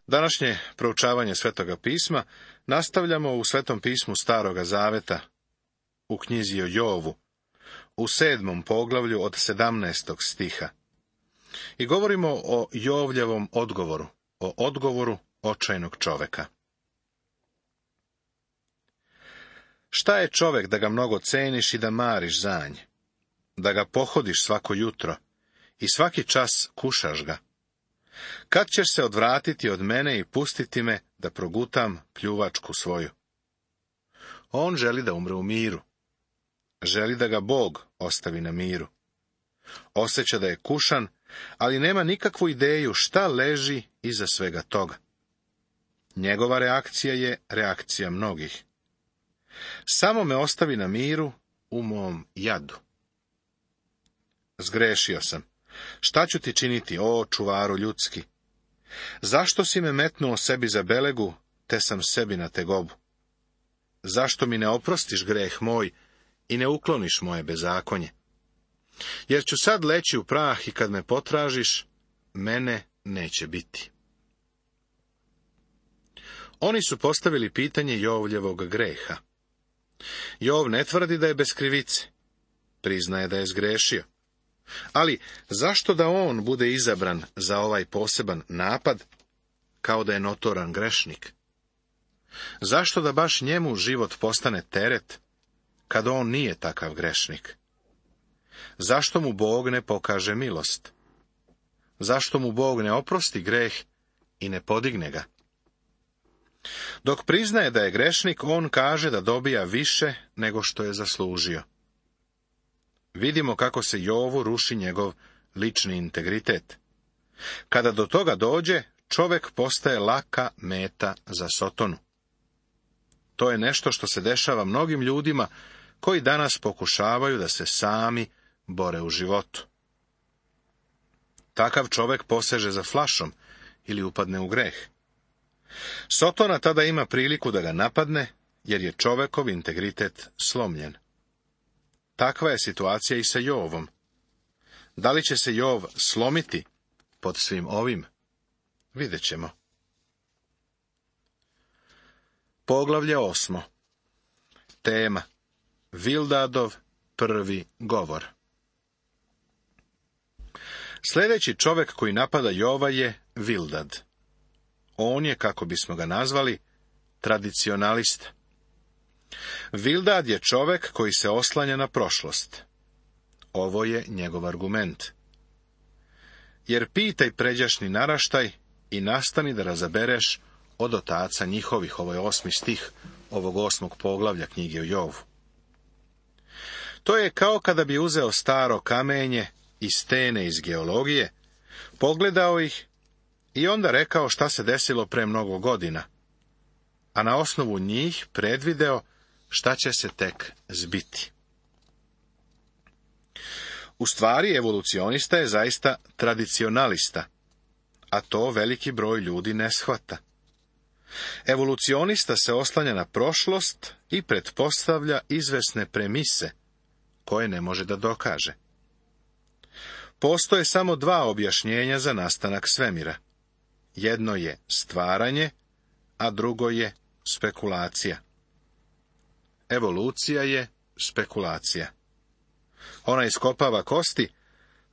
Današnje proučavanje Svetoga pisma nastavljamo u Svetom pismu Staroga zaveta, u knjizi o Jovu, u 7. poglavlju od 17. stiha. I govorimo o Jovljevom odgovoru, o odgovoru očajnog čoveka. Šta je čovek da ga mnogo ceniš i da mariš za nje, da ga pohodiš svako jutro i svaki čas kušaš ga? Kad ćeš se odvratiti od mene i pustiti me da progutam pljuvačku svoju? On želi da umre u miru. Želi da ga Bog ostavi na miru. Osjeća da je kušan, ali nema nikakvu ideju šta leži iza svega toga. Njegova reakcija je reakcija mnogih. Samo me ostavi na miru u mom jadu. Zgrešio sam. Šta ću ti činiti, o čuvaru ljudski? Zašto si me metnuo sebi za belegu, te sam sebi na tegobu? Zašto mi ne oprostiš greh moj i ne ukloniš moje bezakonje? Jer ću sad leći u prah i kad me potražiš, mene neće biti. Oni su postavili pitanje Jovljevog greha. Jov ne tvrdi da je bez krivice. Priznaje da je zgrešio. Ali zašto da on bude izabran za ovaj poseban napad, kao da je notoran grešnik? Zašto da baš njemu život postane teret, kad on nije takav grešnik? Zašto mu Bog ne pokaže milost? Zašto mu Bog ne oprosti greh i ne podigne ga? Dok priznaje da je grešnik, on kaže da dobija više nego što je zaslužio. Vidimo kako se Jovu ruši njegov lični integritet. Kada do toga dođe, čovek postaje laka meta za Sotonu. To je nešto što se dešava mnogim ljudima koji danas pokušavaju da se sami bore u životu. Takav čovek poseže za flašom ili upadne u greh. Sotona tada ima priliku da ga napadne, jer je čovekov integritet slomljen. Takva je situacija i sa Jovom. Da li će se Jov slomiti pod svim ovim? Vidjet ćemo. Poglavlje 8. Tema: Vildadov prvi govor. Sljedeći čovek koji napada Jova je Vildad. On je, kako bismo ga nazvali, tradicionalista. Vildad je čovek koji se oslanja na prošlost. Ovo je njegov argument. Jer pitaj pređašnji naraštaj i nastani da razabereš od otaca njihovih. Ovo je 8. stih ovog 8. poglavlja knjige o Jovu. To je kao kada bi uzeo staro kamenje i stene iz geologije, pogledao ih i onda rekao šta se desilo pre mnogo godina, a na osnovu njih predvideo šta će se tek zbiti. U stvari, evolucionista je zaista tradicionalista, a to veliki broj ljudi ne shvata. Evolucionista se oslanja na prošlost i pretpostavlja izvesne premise, koje ne može da dokaže. Postoje samo dva objašnjenja za nastanak svemira. Jedno je stvaranje, a drugo je spekulacija. Evolucija je spekulacija. Ona iskopava kosti,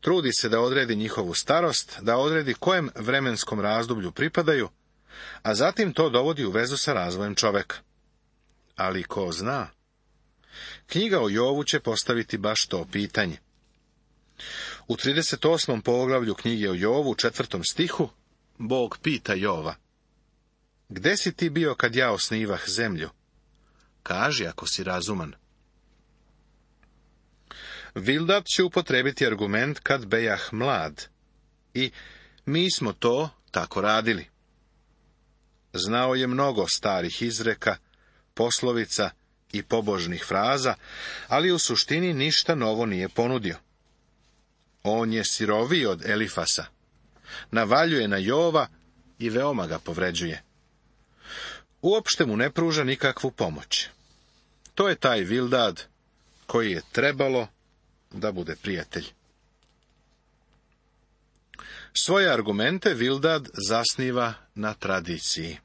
trudi se da odredi njihovu starost, da odredi kojem vremenskom razdoblju pripadaju, a zatim to dovodi u vezu sa razvojem čoveka. Ali ko zna? Knjiga o Jovu će postaviti baš to pitanje. U 38. poglavlju knjige o Jovu, 4. stihu, Bog pita Jova: Gde si ti bio kad ja osnivah zemlju? Kaži ako si razuman. Vildad će upotrebiti argument kad bejah mlad i mi smo to tako radili. Znao je mnogo starih izreka, poslovica i pobožnih fraza, ali u suštini ništa novo nije ponudio. On je siroviji od Elifasa, navaljuje na Jova i veoma ga povređuje. Uopšte mu ne pruža nikakvu pomoć. To je taj Vildad koji je trebalo da bude prijatelj. Svoje argumente Bildad zasniva na tradiciji.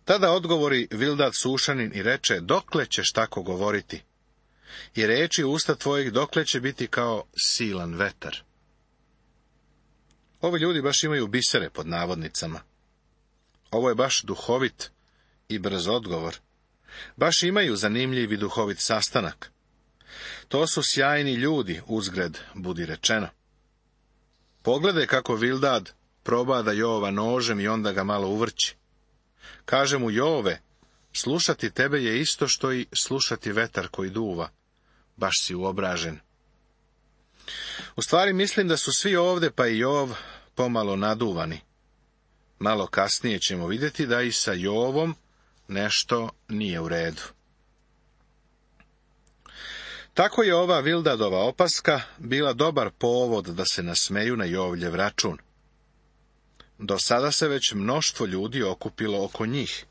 Tada odgovori Bildad Sušanin i reče: dokle ćeš tako govoriti? I reči usta tvojih dokle će biti kao silan vetar? Ovi ljudi baš imaju bisere pod navodnicama. Ovo je baš duhovit i brz odgovor. Baš imaju zanimljiv i duhovit sastanak. To su sjajni ljudi, uzgred budi rečeno. Pogledaj kako Bildad probada Jova nožem i onda ga malo uvrći. Kaže mu: Jove, slušati tebe je isto što i slušati vetar koji duva. Baš si uobražen. U stvari mislim da su svi ovde, pa i Jov, pomalo naduvani. Malo kasnije ćemo vidjeti da i sa Jovom nešto nije u redu. Tako je ova Bildadova opaska bila dobar povod da se nasmeju na Jovljev račun. Do sada se već mnoštvo ljudi okupilo oko njih.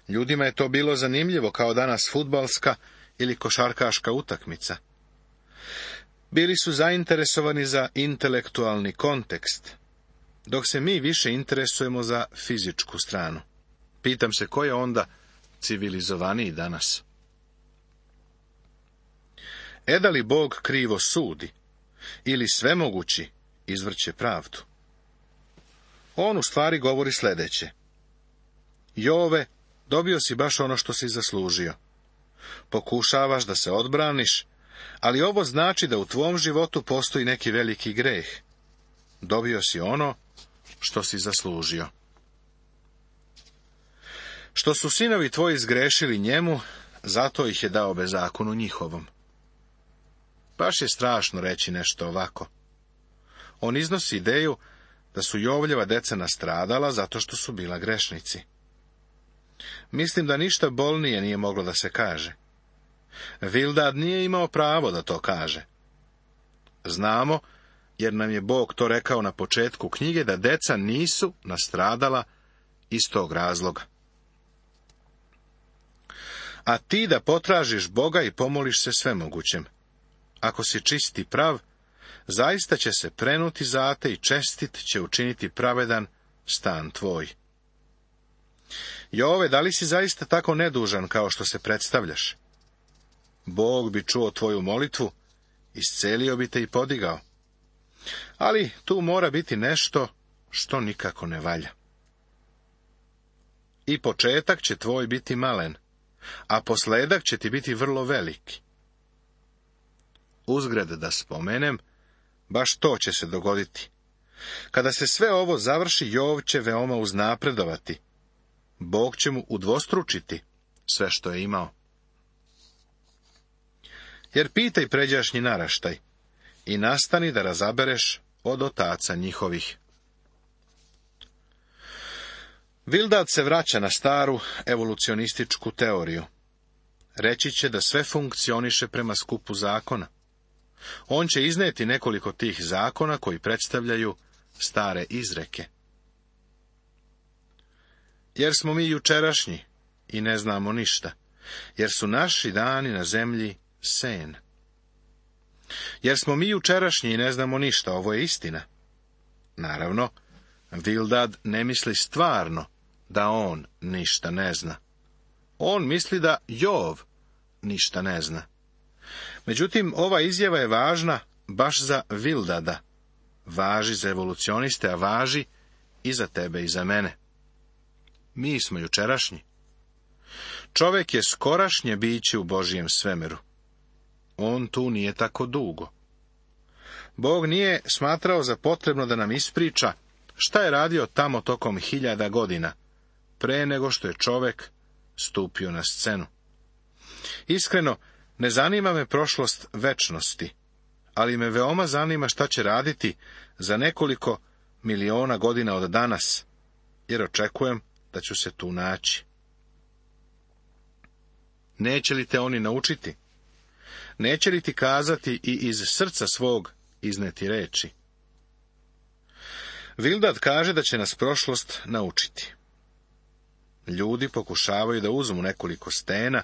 Ljudima je to bilo zanimljivo kao danas fudbalska ili košarkaška utakmica. Bili su zainteresovani za intelektualni kontekst, dok se mi više interesujemo za fizičku stranu. Pitam se ko je onda civilizovaniji danas? Da li Bog krivo sudi ili svemogući izvrće pravdu? On u stvari govori sljedeće: Jove, dobio si baš ono što si zaslužio. Pokušavaš da se odbraniš, ali ovo znači da u tvom životu postoji neki veliki greh. Dobio si ono što si zaslužio. Što su sinovi tvoji zgrešili njemu, zato ih je dao bezakonu njihovom. Baš je strašno reći nešto ovako. On iznosi ideju da su Jovljeva deca nastradala zato što su bila grešnici. Mislim da ništa bolnije nije moglo da se kaže. Bildad nije imao pravo da to kaže. Znamo, jer nam je Bog to rekao na početku knjige, da deca nisu nastradala iz tog razloga. A ti da potražiš Boga i pomoliš se svemogućem. Ako si čist i prav, zaista će se prenuti zate i čestit će učiniti pravedan stan tvoj. Jove, da li si zaista tako nedužan kao što se predstavljaš? Bog bi čuo tvoju molitvu, iscelio bi te i podigao. Ali tu mora biti nešto što nikako ne valja. I početak će tvoj biti malen, a posledak će ti biti vrlo veliki. Uzgred da spomenem, baš to će se dogoditi. Kada se sve ovo završi, Jov će veoma uznapredovati. Bog će mu udvostručiti sve što je imao. Jer pitaj pređašnji naraštaj i nastani da razabereš od otaca njihovih. Bildad se vraća na staru evolucionističku teoriju. Reći će da sve funkcioniše prema skupu zakona. On će izneti nekoliko tih zakona koji predstavljaju stare izreke. Jer smo mi jučerašnji i ne znamo ništa, jer su naši dani na zemlji sen. Jer smo mi jučerašnji i ne znamo ništa, ovo je istina. Naravno, Bildad ne misli stvarno da on ništa ne zna. On misli da Jov ništa ne zna. Međutim, ova izjava je važna baš za Bildada. Važi za evolucioniste, a važi i za tebe i za mene. Mi smo jučerašnji. Čovjek je skorašnje biće u Božijem svemiru. On tu nije tako dugo. Bog nije smatrao za potrebno da nam ispriča šta je radio tamo tokom 1000 godina, pre nego što je čovjek stupio na scenu. Iskreno, ne zanima me prošlost večnosti, ali me veoma zanima šta će raditi za nekoliko miliona godina od danas, jer očekujem da ću se tu naći. Neće li te oni naučiti? Neće li ti kazati i iz srca svog izneti reči? Bildad kaže da će nas prošlost naučiti. Ljudi pokušavaju da uzmu nekoliko stena,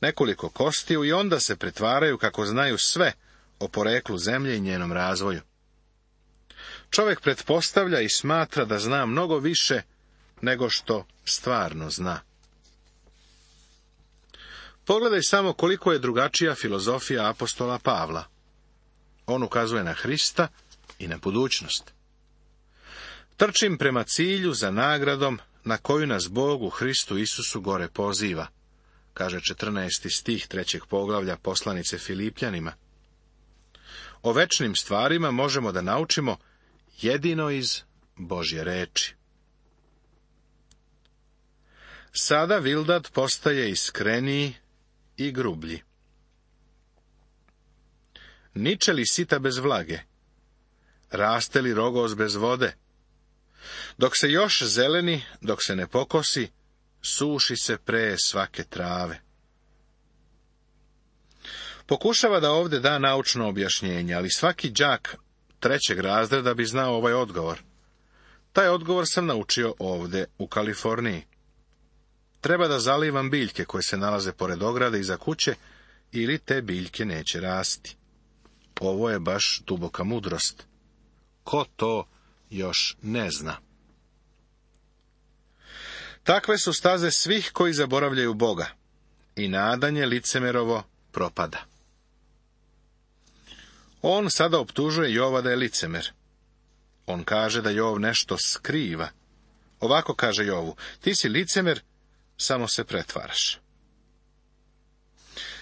nekoliko kostiju i onda se pretvaraju kako znaju sve o poreklu zemlje i njenom razvoju. Čovjek pretpostavlja i smatra da zna mnogo više nego što stvarno zna. Pogledaj samo koliko je drugačija filozofija apostola Pavla. On ukazuje na Hrista i na budućnost. Trčim prema cilju za nagradom na koju nas Bog u Hristu Isusu gore poziva, kaže 14. stih 3. poglavlja poslanice Filipljanima. O večnim stvarima možemo da naučimo jedino iz Božje reči. Sada Bildad postaje iskreniji i grublji. Niče li sita bez vlage? Raste li rogos bez vode? Dok se još zeleni, dok se ne pokosi, suši se pre svake trave. Pokušava da ovdje da naučno objašnjenje, ali svaki đak 3. razreda bi znao ovaj odgovor. Taj odgovor sam naučio ovdje u Kaliforniji. Treba da zalivam biljke koje se nalaze pored ograde iza kuće, ili te biljke neće rasti. Ovo je baš duboka mudrost. Ko to još ne zna? Takve su staze svih koji zaboravljaju Boga, i nadanje licemerovo propada. On sada optužuje Jova da je licemer. On kaže da Jov nešto skriva. Ovako kaže Jovu: ti si licemer, samo se pretvaraš.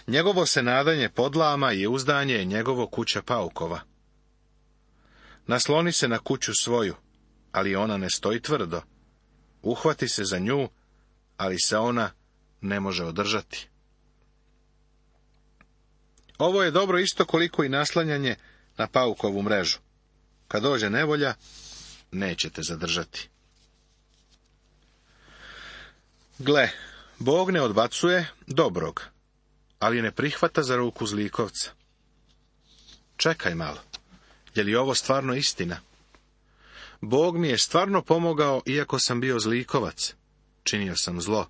Njegovo se nadanje podlama i uzdanje je njegovo kuća paukova. Nasloni se na kuću svoju, ali ona ne stoji tvrdo. Uhvati se za nju, ali se ona ne može održati. Ovo je dobro isto koliko i naslanjanje na paukovu mrežu. Kad dođe nevolja, nećete zadržati. Gle, Bog ne odbacuje dobrog, ali ne prihvata za ruku zlikovca. Čekaj malo, je li ovo stvarno istina? Bog mi je stvarno pomogao, iako sam bio zlikovac. Činio sam zlo.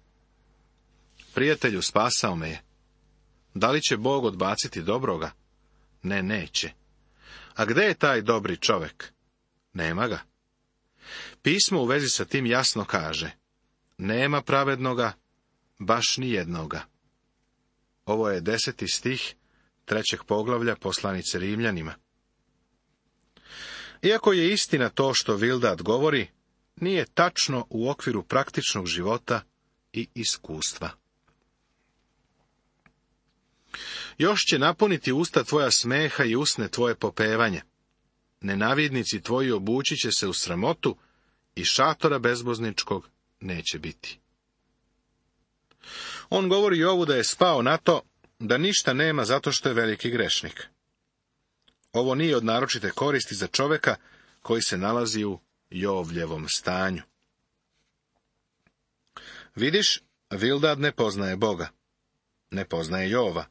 Prijatelju, spasao me je. Da li će Bog odbaciti dobroga? Ne, neće. A gde je taj dobri čovek? Nema ga. Pismo u vezi sa tim jasno kaže: nema pravednoga, baš ni jednoga. Ovo je 10. stih 3. poglavlja poslanice Rimljanima. Iako je istina to što Bildad govori, nije tačno u okviru praktičnog života i iskustva. Još će napuniti usta tvoja smeha i usne tvoje popevanje. Nenavidnici tvoji obući će se u sramotu i šatora bezbozničkog neće biti. On govori Jovu da je spao na to da ništa nema zato što je veliki grešnik. Ovo nije od naročite koristi za čovjeka koji se nalazi u Jovljevom stanju. Vidiš, Bildad ne poznaje Boga. Ne poznaje Jova.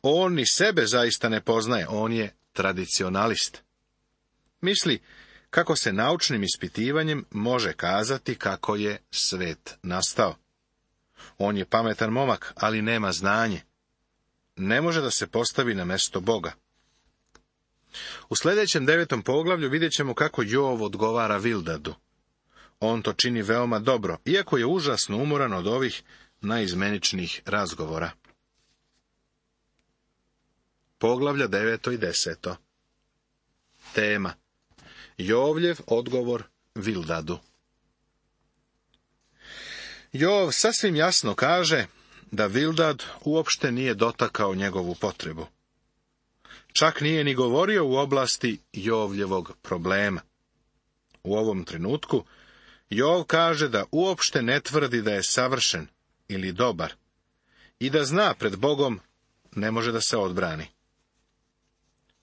On ni sebe zaista ne poznaje, on je tradicionalist. Misli kako se naučnim ispitivanjem može kazati kako je svet nastao. On je pametan momak, ali nema znanje. Ne može da se postavi na mesto Boga. U sljedećem 9. poglavlju vidjet ćemo kako Jov odgovara Bildadu. On to čini veoma dobro, iako je užasno umoran od ovih najizmeničnijih razgovora. Poglavlja 9. i 10. Tema: Jovljev odgovor Bildadu. Jov sasvim jasno kaže da Bildad uopšte nije dotakao njegovu potrebu. Čak nije ni govorio u oblasti Jovljevog problema. U ovom trenutku Jov kaže da uopšte ne tvrdi da je savršen ili dobar i da zna pred Bogom ne može da se odbrani.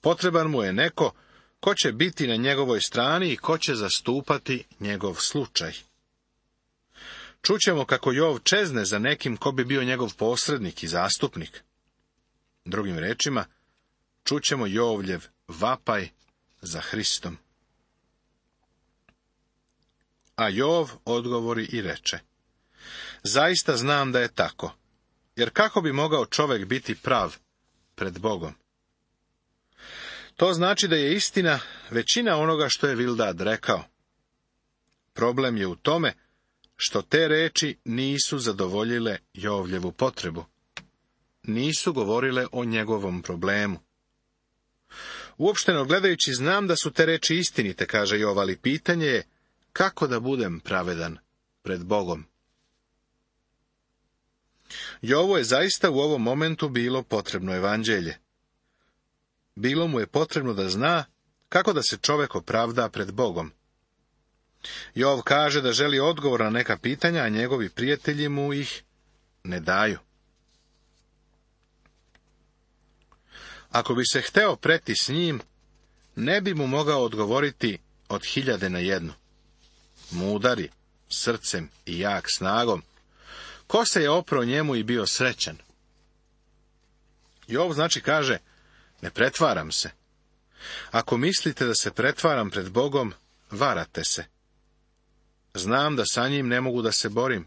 Potreban mu je neko ko će biti na njegovoj strani i ko će zastupati njegov slučaj. Čućemo kako Jov čezne za nekim ko bi bio njegov posrednik i zastupnik. Drugim rečima, čućemo Jovljev vapaj za Hristom. A Jov odgovori i reče: zaista znam da je tako, jer kako bi mogao čovjek biti prav pred Bogom? To znači da je istina većina onoga što je Bildad rekao. Problem je u tome što te reči nisu zadovoljile Jovljevu potrebu. Nisu govorile o njegovom problemu. Uopšteno gledajući, znam da su te reči istinite, kaže Jov, ali pitanje je kako da budem pravedan pred Bogom. Jovu je zaista u ovom momentu bilo potrebno evanđelje. Bilo mu je potrebno da zna kako da se čovjek opravda pred Bogom. Jov kaže da želi odgovor na neka pitanja, a njegovi prijatelji mu ih ne daju. Ako bi se hteo preti s njim, ne bi mu mogao odgovoriti od 1001. Mudar, srcem i jak snagom, ko se je oprao njemu i bio srećan? Jov znači kaže, ne pretvaram se. Ako mislite da se pretvaram pred Bogom, varate se. Znam da sa njim ne mogu da se borim.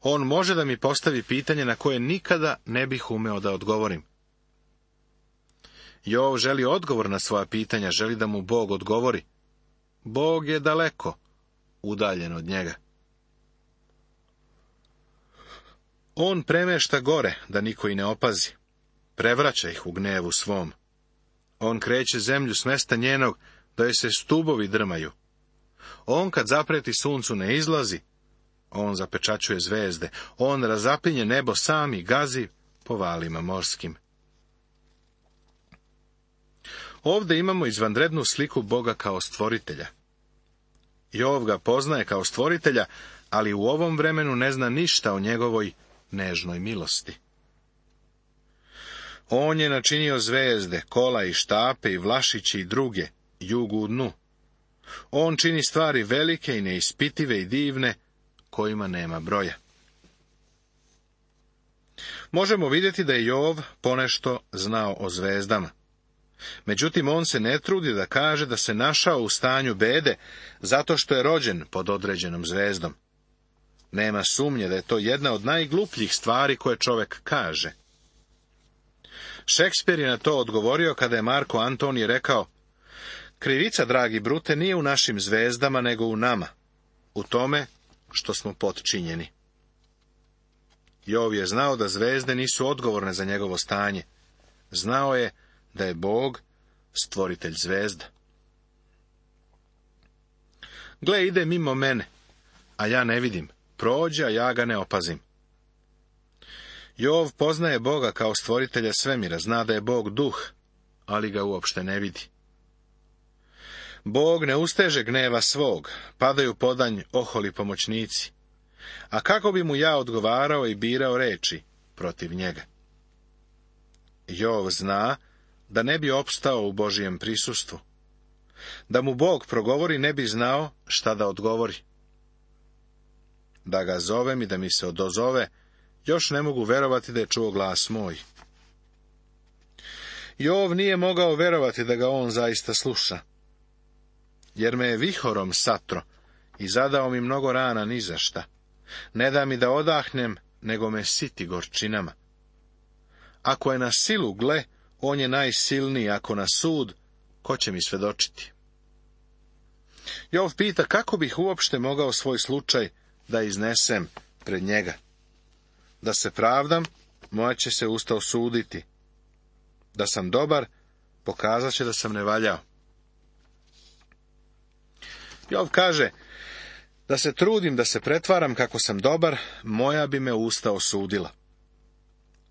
On može da mi postavi pitanje na koje nikada ne bih umeo da odgovorim. Jov želi odgovor na svoja pitanja, želi da mu Bog odgovori. Bog je daleko, udaljen od njega. On premešta gore, da niko i ne opazi. Prevraća ih u gnevu svom. On kreće zemlju s mesta njenog, da joj se stubovi drmaju. On kad zapreti suncu ne izlazi, on zapečaćuje zvezde, on razapinje nebo sam i gazi po valima morskim. Ovdje imamo izvanrednu sliku Boga kao stvoritelja. Jov ga poznaje kao stvoritelja, ali u ovom vremenu ne zna ništa o njegovoj nežnoj milosti. On je načinio zvezde, kola i štape i vlašići i druge, jugu u dnu. On čini stvari velike i neispitive i divne, kojima nema broja. Možemo vidjeti da je Jov ponešto znao o zvezdama. Međutim, on se ne trudi da kaže da se našao u stanju bede, zato što je rođen pod određenom zvezdom. Nema sumnje da je to jedna od najglupljih stvari koje čovjek kaže. Šekspir je na to odgovorio kada je Marko Antonije rekao, krivica, dragi Brute, nije u našim zvezdama, nego u nama, u tome što smo potčinjeni. Jov je znao da zvezde nisu odgovorne za njegovo stanje. Znao je da je Bog stvoritelj zvezda. Gle, ide mimo mene, a ja ne vidim, prođe, a ja ga ne opazim. Jov poznaje Boga kao stvoritelja svemira, zna da je Bog duh, ali ga uopšte ne vidi. Bog ne usteže gneva svog, padaju podanj oholi pomoćnici. A kako bi mu ja odgovarao i birao reči protiv njega? Jov zna da ne bi opstao u Božijem prisustvu. Da mu Bog progovori, ne bi znao šta da odgovori. Da ga zovem i da mi se odozove, još ne mogu verovati da je čuo glas moj. Jov nije mogao verovati da ga on zaista sluša, jer me je vihorom satro i zadao mi mnogo rana ni za šta. Ne da mi da odahnem, nego me siti gorčinama. Ako je na silu, gle, on je najsilniji, ako na sud, ko će mi svedočiti? Jov pita kako bih uopšte mogao svoj slučaj da iznesem pred njega. Da se pravdam, moja će se usta osuditi. Da sam dobar, pokazat će da sam ne valjao. Jov kaže, da se trudim, da se pretvaram kako sam dobar, moja bi me usta osudila.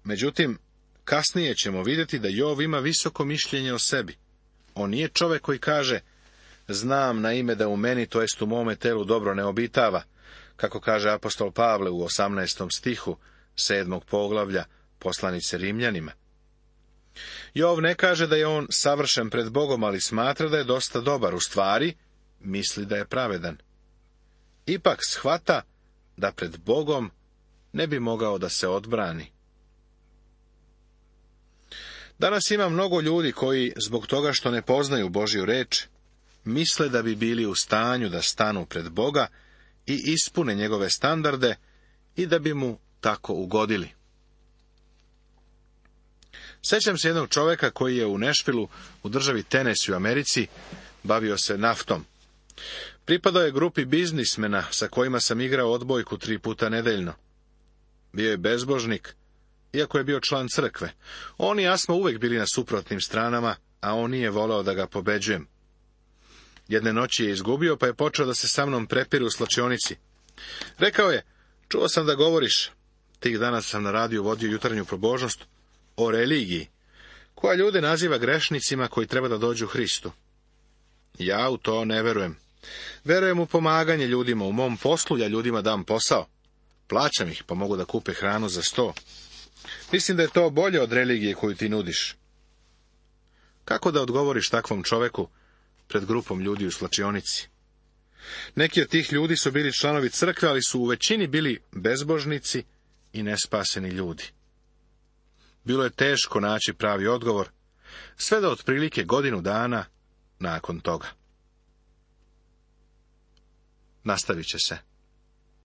Međutim, kasnije ćemo vidjeti da Jov ima visoko mišljenje o sebi. On nije čovjek koji kaže, znam na ime da u meni, to jest u mome telu, dobro ne obitava, kako kaže apostol Pavle u 18. stihu 7. poglavlja poslanice Rimljanima. Jov ne kaže da je on savršen pred Bogom, ali smatra da je dosta dobar, u stvari misli da je pravedan. Ipak shvata da pred Bogom ne bi mogao da se odbrani. Danas ima mnogo ljudi koji, zbog toga što ne poznaju Božju reč, misle da bi bili u stanju da stanu pred Boga i ispune njegove standarde i da bi mu tako ugodili. Sjećam se jednog čovjeka koji je u Nashvillu, u državi Tennessee u Americi, bavio se naftom. Pripadao je grupi biznismena sa kojima sam igrao odbojku 3 puta nedeljno. Bio je bezbožnik, iako je bio član crkve. On i ja smo uvijek bili na suprotnim stranama, a on nije voleo da ga pobeđujem. Jedne noći je izgubio, pa je počeo da se sa mnom prepire u slačionici. Rekao je, čuo sam da govoriš, tih dana sam na radiju vodio jutarnju probožnost, o religiji, koja ljude naziva grešnicima koji treba da dođu Hristu. Ja u to ne verujem. Verujem u pomaganje ljudima, u mom poslu ja ljudima dam posao. Plaćam ih, pa mogu da kupe hranu za 100. Mislim da je to bolje od religije koju ti nudiš. Kako da odgovoriš takvom čoveku pred grupom ljudi u slačionici? Neki od tih ljudi su bili članovi crkve, ali su u većini bili bezbožnici i nespaseni ljudi. Bilo je teško naći pravi odgovor, sve do otprilike godinu dana nakon toga. Nastavit će se.